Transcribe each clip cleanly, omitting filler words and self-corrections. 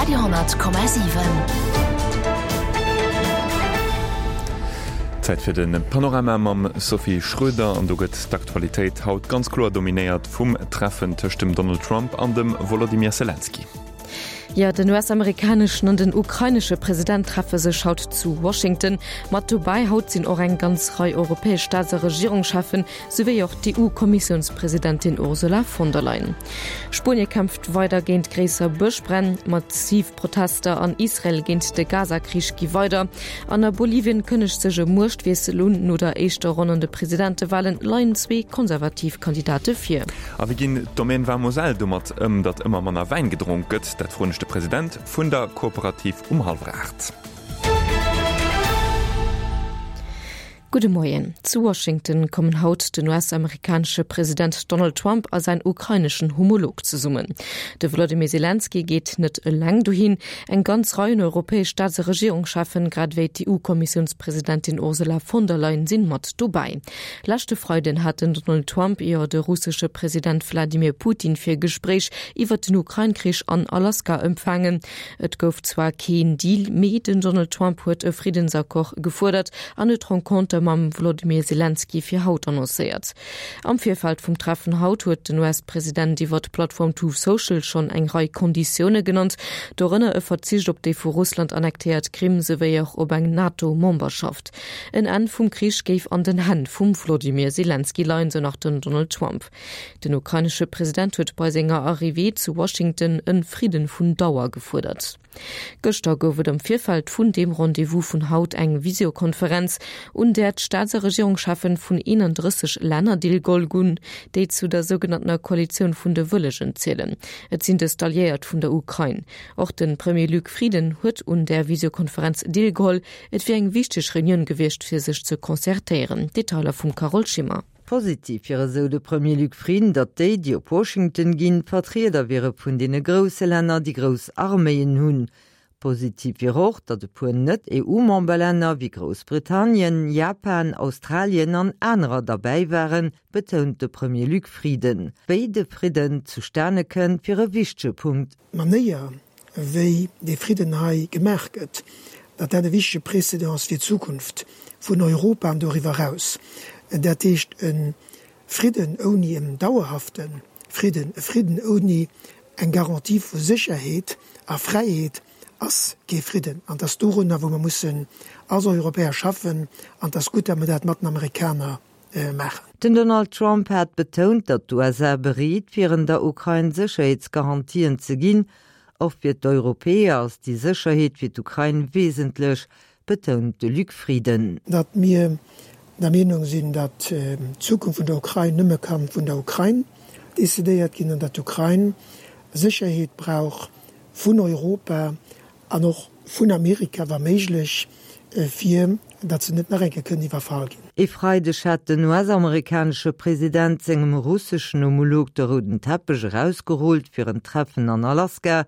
Radio,7. Zäit fir de Panorama mam Sophie Schröder an do gëtt d'Aktualitéit haut ganz kloer dominéiert vum Treffen tëscht dem Donald Trump an dem Wolodymyr Selenskyj. Jo, den US-amerikaneschen an den ukrainesche President treffe sech haut zu Washington. Mat dobäi haut sinn och eng ganz Rei europäesch Staats a Regierungscheffen, souwéi och d'EU-Kommissiounspresidentin Ursula von der Leyen. Spuenie kämpft weider géint gréisser Bëschbränn, massiv Protester an Israel géint de Gaza-Krich gi weider an a Bolivien kënnegt sech e Muechtwiessel un. No der éischter Ronn an de Presidentewalen leien zwee konservativ Kandidate vir. A wéi ginn d'Domaine Vin Moselle domat ëm, datt ëmmer manner Wäin gedronk gëtt? Dat froen ech de President vun der Kooperativ um hallwer 8. Gudde Moien. Zu Washington kommen haut den US-amerikanesche President Donald Trump a säin ukraineschen Homolog zesummen. De Wlodimir Selenskyj geet net eleng dohin. Eng ganz Rei un europäesch Staats a Regierungscheffen, grad ewéi d'EU-Kommissiounspresidentin Ursula von der Leyen sinn mat dobäi. Leschte Freiden hat den Donald Trump jo de russesche President Wladimir Putin fir e Gespréich iwwert den Ukrain-Krich an Alaska empfaangen. Et gouf zwar keen Deal, mee den Donald Trump huet e Friddensaccord gefuerdert an huet d'Renconter mam Wolodymyr Selenskyj fir haut annoncéiert. Am Virfeld vum Treffen haut huet den US-President iwwer d'Plattform Truth Social schonn eng Rei Konditioune genannt, dorënner e Verzicht op déi vu Russland annektéiert Krim souwéi och op eng NATO-Memberschaft. En Enn vum Krich géif an den Hänn vum Wolodymyr Selenskyj leien, sou nach den Donald Trump. Den ukrainesche President huet bei senger Arrivée zu Washington e Fridden vun Dauer gefuerdert. Gëschter gouf et am Virfeld vun deem Rendez-vous vun haut eng Visiokonferenz, un där d'Staats a Regierungscheffen vun 31 Länner deelgeholl gunn, déi zu der sougenanntener Koalitioun vun de Wëllegen zielen. Et sinn dëst Alliéiert vun der Ukrain. Och de Premier Luc Frieden huet un där Visiokonferenz deelgeholl. Et wier eng wichteg Reunioun gewiescht, fir sech ze concertéieren. Detailer vum Carole Schimmer. Positiv wier esou de Premier Luc Frieden, datt déi, déi op Washington ginn, Vertrieder wiere vun deene grousse Länner, déi grouss Arméien hunn. Positiv wier och, datt e puer Net-EU-Memberlänner wéi Groussbritannien, Japan, Australien an anerer derbäi waren, betount de Premier Luc Frieden. Wéi de Fridden zustane kënnt, wier e wichtege Punkt. D'Manéier, wéi dee Fridden hei gemaach gëtt, datt dat e wichtege Précédent ass fir d'Zukunft vun Europa an doriwwer eraus. Dat heescht, e Fridden ouni en dauerhafte Fridden, e Fridden ouni eng Garantie vu Sécherheet a Fräiheet ass kee Fridden. An et ass dorunner, wou mer mussen als Europäer schaffen. An et ass gutt, datt mer dat mat den Amerikaner maachen. Den Donald Trump hat betount, datt d'USA bereet wieren, der Ukrain Sécherheetsgarantien ze ginn. Och fir d'Europäer ass déi Sécherheet fir d'Ukrain wesentlech, betount de Luc Frieden. Datt mir der Meenung sinn, datt d'Zukunft vun der Ukrain nëmme ka vun der Ukrain decidéiert ginn an datt d'Ukrain Sécherheet brauch vun Europa An och vun Amerika, wa méiglech, fir datt se net nach eng Kéier kënnen iwwerfall ginn. E Freideg hat den US-amerikanesche President sengem russeschen Homolog de rouden Teppech erausgerullt fir en Treffen an Alaska.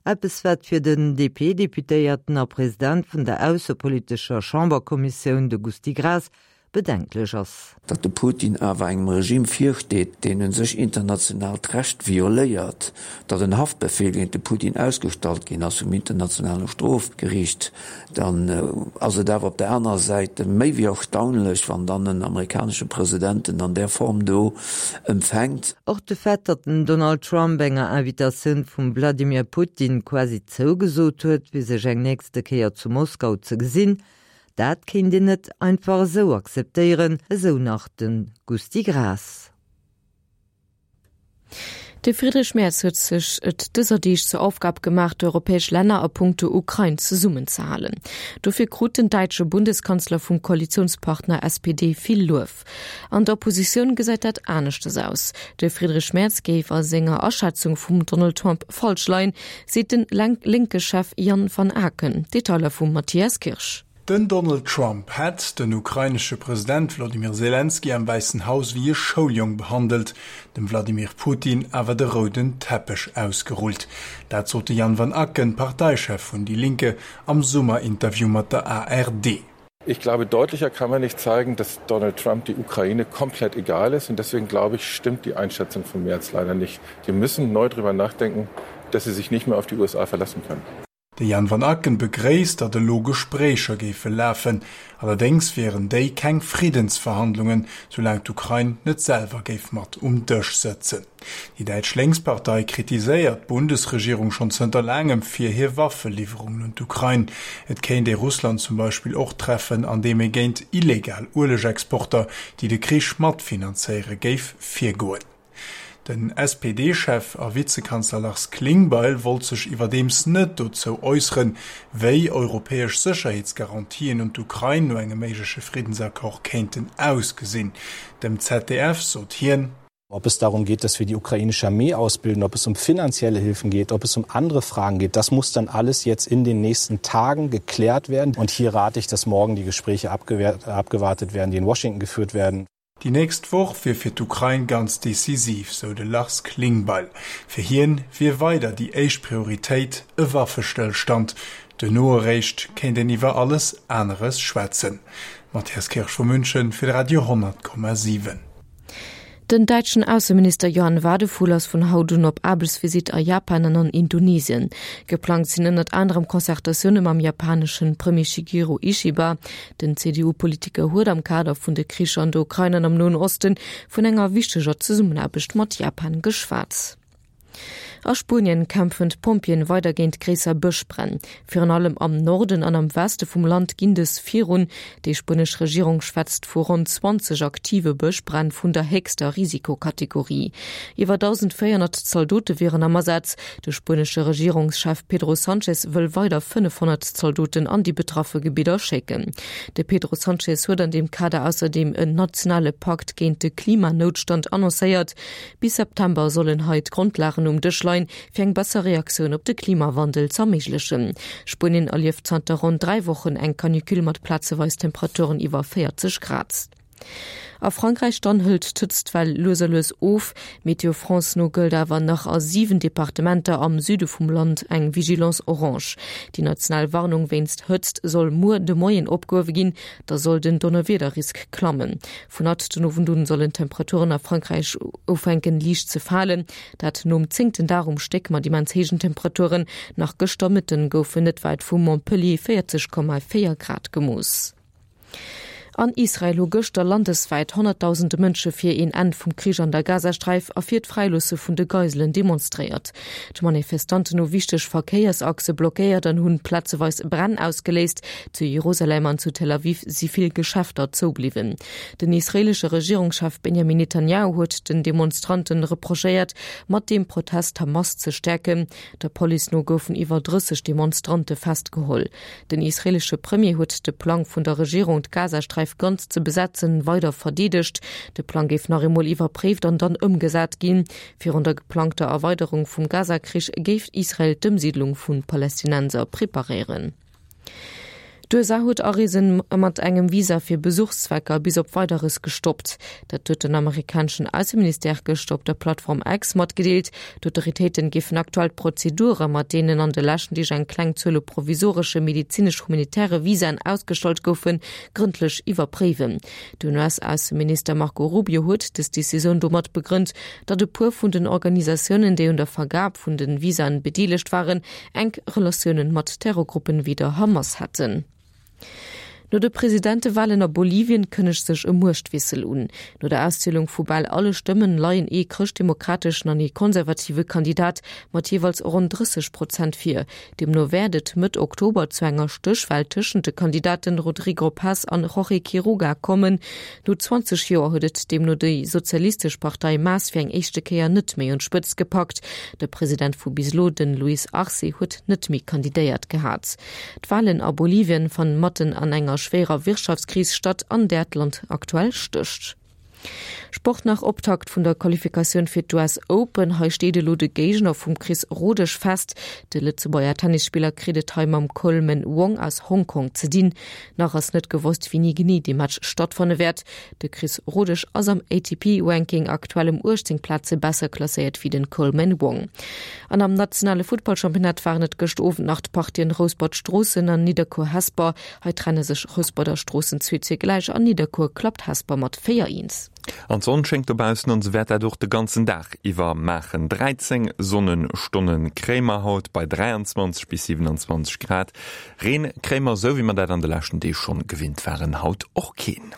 Eppes wat fir den DP-Deputéierten a President vun der aussepolitescher Chamberkommissioun, de Gusty Graas, bedenklech ass. Datt de Putin awer engem Regime virsteet, deen un sech internationaalt Recht violéiert, datt en Haftbefehl géint de Putin ausgestallt ginn ass vum internationale Strofgeriicht, dann ass et awer op der anerer Säit méi wéi erstaunlech, wann dann en amerikanesche President en an där Form do empfänkt. Och de Fait, datt den Donald Trump enger Invitatioun vum Vladimir Putin quasi zougesot huet, fir sech eng nächste Kéier zu Moskau ze gesinn, Dat kéint een net einfach esou akzeptéieren, esou nach de Gusty Graas. De Friedrich Merz huet sech et dëser Deeg zur Aufgab gemaach, d'europäesch Länner a punkto Ukrain zesummenzehalen. Dofir krut den däitsche Bundeskanzler vum Koalitiounspartner SPD vill Luef. An der Oppositioun gesäit dat aneschters aus. De Friedrich Merz géif a senger Aschätzung vum Donald Trump falsch leien, seet den Lénke-Chef Jan van Aken. Detailer vum Matthias Kirsch. Den Donald Trump hätt den ukrainesche President Wladimir Selenskyj am Wäissen Haus wéi e Schouljong behandelt, dem Wladimir Putin awer de rouden Teppech ausgerullt. Dat sot de Jan van Aken, Parteichef vun Die Linke, am Summerinterview mat der ARD. Ich glaube, deutlicher kann man nicht zeigen, dass Donald Trump die Ukraine komplett egal ist. Und deswegen glaube ich, stimmt die Einschätzung von Merz leider nicht. Die müssen neu darüber nachdenken. dass sie sich nicht mehr auf die USA verlassen können. De Jan van Aken begréisst, datt elo Gespréicher géife lafen. Allerdéngs wieren déi keng Friddensverhandlungen, soulaang d'Ukrain net selwer géif mat um Dësch sëtzen. Déi däitsch Lénkspartei kritiséiert d'Bundesregierung schonn zënter laangem fir hir Waffeliwwerungen un d'Ukrain. Et kéint ee Russland zum Beispill och treffen, andeem ee géint illegal Uelegexporter, déi de Krich matfinanzéiere géif virgoen. Den SPD-Chef a Vizekanzler Lars Klingbeil wollt sech iwwerdeems net dozou äusseren, wéi europäesch Sécherheetsgarantien un d'Ukrain no engem méigleche Friddensaccord kéinten ausgesinn. Dem ZDF sot hien. Ob es darum geht, dass wir die ukrainische Armee ausbilden, ob es um finanzielle Hilfen geht, ob es um andere Fragen geht, das muss dann alles jetzt in den nächsten Tagen geklärt werden. Und hier rate ich, dass morgen die Gespräche abgewartet werden, die in Washington geführt werden. Déi nächst Woch wier fir d'Ukrain ganz decisiv, sou de Lars Klingbeil. Fir hien wier weider déi éischt Prioritéit e Waffestëllstand. Duerno eréischt kéint een iwwer alles aneres schwätzen. Matthias Kirsch vu München fir de Radio 10,7. Den däitschen Ausseminister Johann Wadephul ass vun haut un op Aarbechtsvisitt a Japan an an Indonesien. Geplangt sinn ënnert anerem Concertatioune mam japaneschen Premier Shigeru Ishiba. Den CDU-Politiker huet am Kader vun de Kricher an der Ukrain an am Noen Osten vun enger wichteger Zesummenaarbecht mat Japan geschwat. A Spuenien kämpfen d'Pompjeeën weider géint gréisser Bëschbränn. Virun allem am Norden an am Weste vum Land ginn dës virun. Déi spuenesch Regierung schwätzt vu ronn 20 aktive Bëschbränn vun der héchster Risikokategorie. Iwwer 1.400 Zaldote wieren am Asaz. De spuenesche Regierungschef Pedro Sanchez wëll weider 500 Zaldoten an déi betraffe Gebidder schécken. De Pedro Sanchez huet an deem Kader ausserdeem en nationale Pakt géint de Klimanoutstand annoncéiert. Bis September sollen hei d'Grondlagen um Dësch leien, fir eng besser Reaktioun op de Klimawandel z'erméiglechen. Spuenien erlieft zanter ronn 3 Wochen eng Canicule mat plazeweis Temperaturen iwwer 40 Grad. A Frankräich dann hëlt d'Hëtztwell lues a lues of. Météo France no gëllt awer nach a 7 Departementer am Süde vum Land eng Vigilance orange. Déi national Warnung wéinst Hëtzt soll muer de Moien opgehuewe ginn, da soll den Donnerwiederrisk klammen. Vun haut den Owend un sollen d'Temperaturen a Frankräich ufänken liicht ze falen, dat nom zéngten Dag um Stéck mat immens héijen Temperaturen. Nach gëschter Mëtten goufen net wäit vu Montpellier 40,4 Grad gemooss. An Israel hu gëschter landeswäit honnertdausende Mënsche fir een Enn vum Krich an der Gazasträif a fir d'Fräiloosse vun de Geiselen demonstréiert. D'Manifestanten hu wichteg Verkéiersachse blockéiert an hunn plazeweis Bränn ausgeléist. Zu Jerusalem an zu Tel Aviv si vill Geschäfter zoubliwwen. Den israeelesche Regierungschef Benjamin Netanjahu huet den Demonstranten reprochéiert, mat deem Protest d'Hamas ze stäerken. Der Police no goufen iwwer 30 Demonstrante festgeholl. Den israeelesche Premier huet de Plang vun der Regierung, d'Gazasträif ganz ze besetzen, weider verdeedegt. De Plang géif nach eemol iwwerpréift an dann ëmgesat ginn. Virun der geplangter Erweiderung vum Gazakrich géif Israel d'Ëmsiidlung vu Palästinenser preparéieren. D'USA huet Areesen mat engem Visa fir Besuchszwecker bis op Weideres gestoppt. Dat huet den amerikaneschen Ausseministère gëschter op der Plattform X matgedeelt. D'Autoritéiten géifen aktuell d'Prozedure, mat deenen an de leschten Deeg eng kleng Zuel u provisoresche medezinesch-humanitäre Visaen ausgestallt goufen, grëndlech iwwerpréiwen. Den US-Ausseminister Marco Rubio huet dës Decisioun domat begrënnt, datt e puer vun den Organisatiounen, déi un der Vergab vun de Visaen bedeelegt waren, enk Relatiounen mat Terrorgruppen wéi der Hamas hätten. No de Presidentewalen a Bolivien kënnegt sech e Muechtwiessel un. No der Auszielung vu bal alle Stëmmen leien ee chrëschtdemokrateschen an ee konservative Kandidat mat jeeweils ronn 30 Prozent vir. Deemno wäert et Mëtt Oktober zu enger Stéchwal tëschent de Kandidaten Rodrigo Paz an Jorge Quiroga kommen. No 20 Joer huet et deemno déi sozialistesch Partei MAS fir eng éischte Kéier net méi un d'Spëtzt gepackt. De President vu bis elo, den Luis Arce, huet net méi kandidéiert gehat. D'Walen a Bolivien fannen matten an enger schwéierer Wirtschaftskris statt, an där d'Land aktuell stécht. Sport nach, Optakt vun der Qualifikatioun fir d'US Open. Hei steet elo de Géigner vum Chris Rodesch fest. De Lëtzebuerger Tennisspiller kritt et hei mam Coleman Wong aus Hongkong ze dinn. Nach ass net gewosst, wéini genee dee Match stattfanne wäert. De Chris Rodesch ass am ATP-Ranking aktuell ëm 18 Plaze besser klasséiert wéi den Coleman Wong. An am nationale Futtballchampionnat waren et gëscht Owend nach d'Partien Rouspert-Stroossen an Nidderkuer-Hesper. Hei trenne sech Rouspert a Stroossen 2 zu gläich an Nidderkuer klappt Hesper mat 4, 1. An d'Sonn schéngt dobaussen an se wäert dat och de ganzen Dag iwwer maachen. 13 Sonnenstonne kréie mer haut bei 23 bis 27 Grad. Reen kréie mer, esou wéi mer dat an de leschten Deeg schonn gewinnt waren, haut och keen.